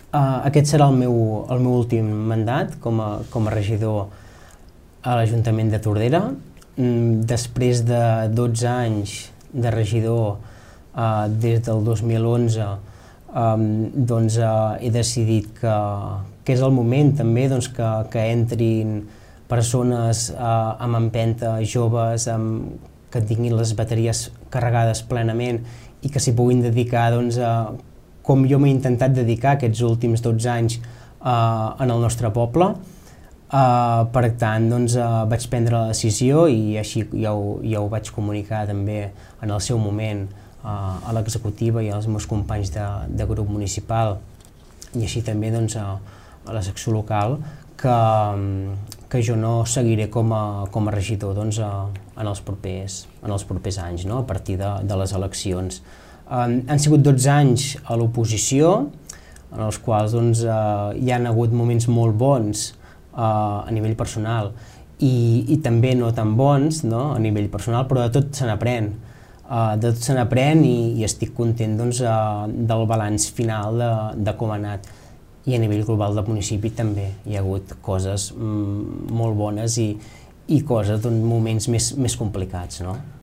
Aquest serà el meu últim mandat com a regidor a l'Ajuntament de Tordera. Després de 12 anys de regidor, des del 2011, he decidit que és el moment també que entrin persones amb empenta, joves, que tinguin les bateries carregades plenament i que s'hi puguin dedicar com jo m'he intentat dedicar aquests últims 12 anys en el nostre poble. Per tant, vaig prendre la decisió i així ja ho vaig comunicar també en el seu moment a l'executiva i als meus companys de grup municipal i així també a la secció local que jo no seguiré com a regidor en els propers anys, a partir de les eleccions. Han sigut 12 anys a l'oposició, en els quals hi han hagut moments molt bons a nivell personal i també no tan bons a nivell personal, però de tot se n'aprèn. De tot se n'aprèn i estic content del balanç final de com ha anat. I a nivell global del municipi també hi ha hagut coses molt bones i coses, moments més complicats.